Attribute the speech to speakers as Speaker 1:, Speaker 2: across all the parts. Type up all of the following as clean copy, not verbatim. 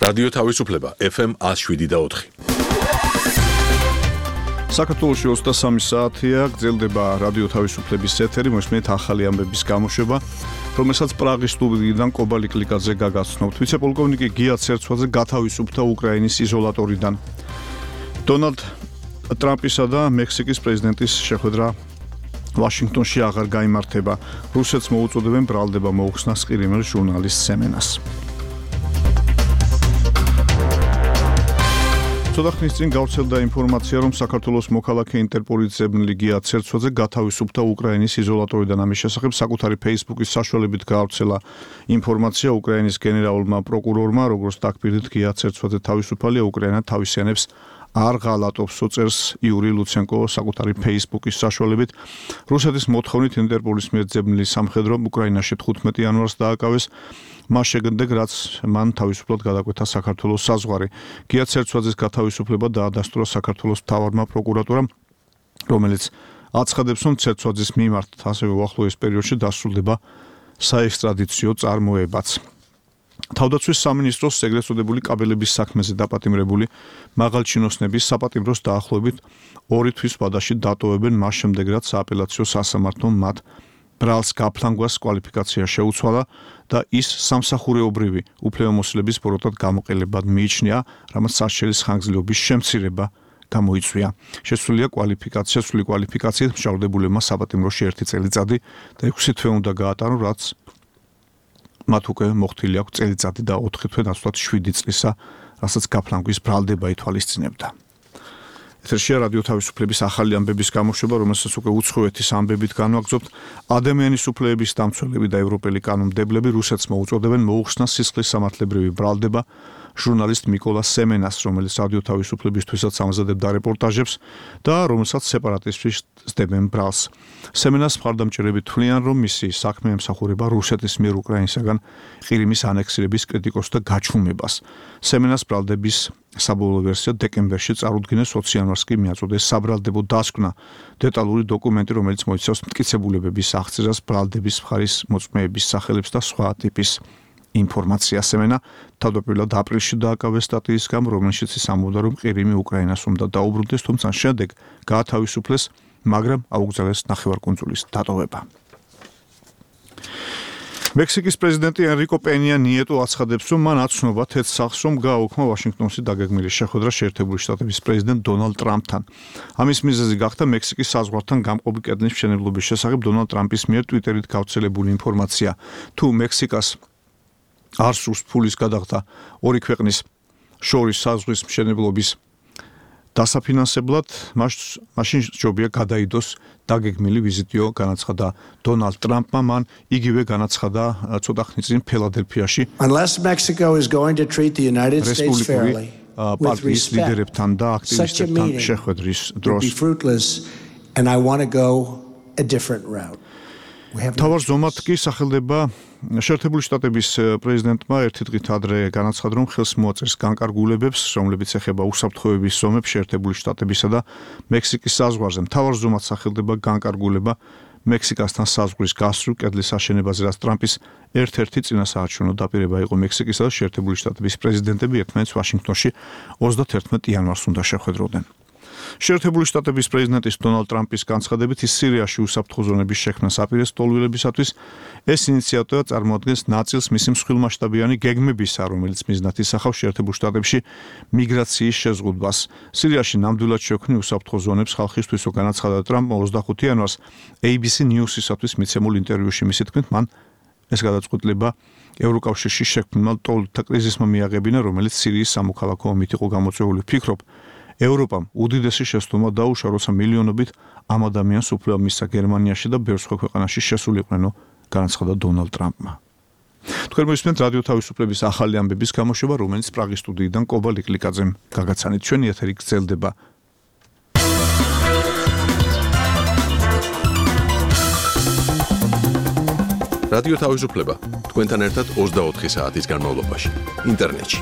Speaker 1: რადიო თავისუფლება FM 107.4.
Speaker 2: საქართველოში 23 საათია გრძელდება რადიო თავისუფლების ეთერი, მოსმენთ ახალი ამბების გამოშვება, რომელსაც პრაღის სტუდიიდან კობალი კლიკაძე გაგაცნობთ. ვიცე-პოლკოვნიკი გია ცერცვაძე გათავისუფლდა უკრაინის იზოლატორიდან. დონალდ ტრამპისა და მექსიკის პრეზიდენტის შეხვედრა ვაშინგტონში აღარ გაიმართება. რუსეთს მოუწოდებენ ბრალდება მოუხსნას ყირიმელ ჟურნალისტ სემენას. ცოტა ხნის წინ გავრცელდა ინფორმაცია, რომ საქართველოს მოქალაქე ინტერპოლის ზებნელი გია ცერცვაძე გათავისუფლდა უკრაინის იზოლატორიდან. ამის შესახებ საკუთარი Facebook-ის საშუალებით გავრცელა ინფორმაცია უკრაინის გენერალურმა პროკურორმა, როგორც დაგპირდით, გია ცერცვაძე თავისუფალია, უკრაინა თავისიანებს არ ღალატობს, უწერს იური ლუცენკო საკუთარი Facebook-ის საშუალებით. რუსეთის მოთხოვნით ინტერპოლის მიერ ზებნელი სამხედრო უკრაინაში 15 იანვარს დააკავეს. მას შეგნდე, რაც მან თავისუფლად გადაკვეთა საქართველოს საზღვარი. გია ცერცვაძის გათავისუფლება დაადასტურა საქართველოს მთავარმა პროკურატურამ, რომელიც აცხადებს, რომ ცერცვაძის მიმართ ასევე უახლოეს პერიოდში დასრულდება საექსტრადიციო წარმოებაც. თავდაცვის სამინისტროს ეგრეთ წოდებული კაბელების საქმეზე დაპატიმრებული მაღალჩინოსნების საპატიმროს დაახლოებით 2 თვის ვადაში დატოვებენ მას შემდეგ, რაც სააპელაციო სასამართლომ მათ ბრალს გაფლანგვას კვალიფიკაცია შეუცვალა და ის სამსახურეობრივი უფლებამოსილების ბოროტად გამოყენებად მიიჩნია, რამაც სასჯელის ხანგრძლივობის შემცირება გამოიწვია. შესული კვალიფიკაციით მშავდებულებმა საპატიმროში 1 წელიწადი და 6 თვე უნდა გაატარონ, რაც მათ უკვე მოხდილი აქვს წელიწადი და 4 თვე ნაცვლად 7 წლისა, რასაც გაფლანგვის ბრალდება ითვალისწინებდა. ეთერშია რადიო თავისუფლების ახალი ამბების გამოშვება, რომელსაც უკვე უცხოეთის ამბებით განვაგრძობთ. ადამიანის უფლებების დამცველები და ევროპელი კანონმდებლები რუსეთს მოუწოდებენ მოუხსნას სისხლის სამართლებრივი ბრალდება ჟურნალისტ მიკოლა სემენას, რომელიც რადიო თავისუფლებისთვისაც ამზადებდა რეპორტაჟებს და რომელსაც სეპარატისტები სდებენ ბრალს. სემენას მხარდამჭერები თვლიან, რომ მისი საქმე ემსახურება რუსეთის მიერ უკრაინისაგან ყირიმის ანექსირების კრიტიკოს და გაჩუმებას. სემენას ბრალდების საბოლოო ვერსია დეკემბერში წარუდგინეს, 20 იანვარს კი მიაწოდეს საბრალდებო დასკვნა. დეტალური დოკუმენტი, რომელიც მოიცავს მტკიცებულებების აღწერას, ბრალდების მხარის მოწმეების სახელებს და სხვა ტიპის ინფორმაცია. სემენა თავდაპირველად აპრილში დააკავეს სტატიის გამო, რომელშიც ის ამბობდა, რომ ყირიმი უკრაინას უნდა დაუბრუნდეს, თუმცა შემდეგ გაათავისუფლეს, მაგრამ აუგზავნეს ნახევარკუნძულის დატოვება. მექსიკის პრეზიდენტი ენრიკო პენია ნიეტო აცხადებს, რომ მან აცნობა თეთრ სახლს, რომ გააუქმა ვაშინგტონში დაგეგმილი შეხვედრა შეერთებული შტატების პრეზიდენტ დონალდ ტრამპთან. ამის მიზეზი გახდა მექსიკის საზღვართან გამყოფი კედლის მშენებლობის შესახებ დონალდ ტრამპის მიერ ტვიტერით გავრცელებული ინფორმაცია. თუ მექსიკას არ სურს ფულის გადახდა ორი ქვეყნის შორის საზღვრის მშენებლობის დასაფინანსებლად, მაშინ ჯობია გადაიდოს დაგეგმილი ვიზიტიო, განაცხადა დონალდ ტრამპმა. მან იგივე განაცხადა ცოტა ხნის წინ ფილადელფიაში რესპუბლიკური პარტიის ლიდერებთან და აქტივისტებთან შეხვედრის დროს. თავარ ზომად კი სახელდება შეერთებული შტატების პრეზიდენტმა ერთი დღით ადრე განაცხადა, რომ ხელს მოაწერს განკარგულებებს, რომლებიც ეხება უსაფრთხოების ზომებს შეერთებული შტატებისა და მექსიკის საზღვარზე. თავარ ზომად სახელდება განკარგულება მექსიკასთან საზღვრის გასწვრივ კედლის აშენებაზე, რაც ტრამპის ერთ-ერთი წინასაარჩევნო დაპირება იყო. მექსიკისა და შეერთებული შტატების პრეზიდენტები ერთმანეთს ვაშინგტონში 31 იანვარს უნდა შეხვედროდნენ. შეერთებული შტატების პრეზიდენტის დონალდ ტრამპის განცხადებით, ის სირიაში უსაფრთხო ზონების შექმნას აპირებს ტოლვილებისათვის. ეს ინიციატივა წარმოადგენს ნაწილს მისი მსხვილმასშტაბიანი გეგმებისა, რომელიც მიზნად ისახავს შეერთებულ შტატებში მიგრაციის შეზღუდვას. სირიაში ნამდვილად შექმნილ უსაფრთხო ზონებს ხალხისთვისო განაცხადა ტრამპმა 25 იანვარს ABC News-ისათვის მიცემულ ინტერვიუში. მისი თქმით, მან ეს გადაწყვეტილება ევროკავშირში შექმნილ ტოლთა კრიზისმა მიაღებინა, რომელიც სირიის სამოქალაქო ომით იყო გამოწვეული. ფიქრობ, ევროპამ უდიდესი შეცდომა დაუშვა, როცა მილიონობით ამ ადამიანს უფლება მისცა გერმანიაში და ბევრ სხვა ქვეყანაში შესულიყვნენ, განაცხადა დონალდ ტრამპმა. თქვენ მოისმენთ რადიო თავისუფლების ახალი ამბების გამოშვება, რომელიც პრაღის სტუდიიდან კობალი კლიკაძემ გაგაცანით. ჩვენი ეთერი გრძელდება.
Speaker 1: რადიო თავისუფლება თქვენთან ერთად 24 საათის განმავლობაში ინტერნეტში.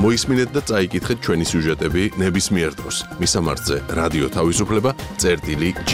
Speaker 1: მოისმინეთ და წაიკითხეთ ჩვენი სიუჟეტები ნებისმიერ დროს. მისამართზე რადიო თავისუფლება წერტილი G.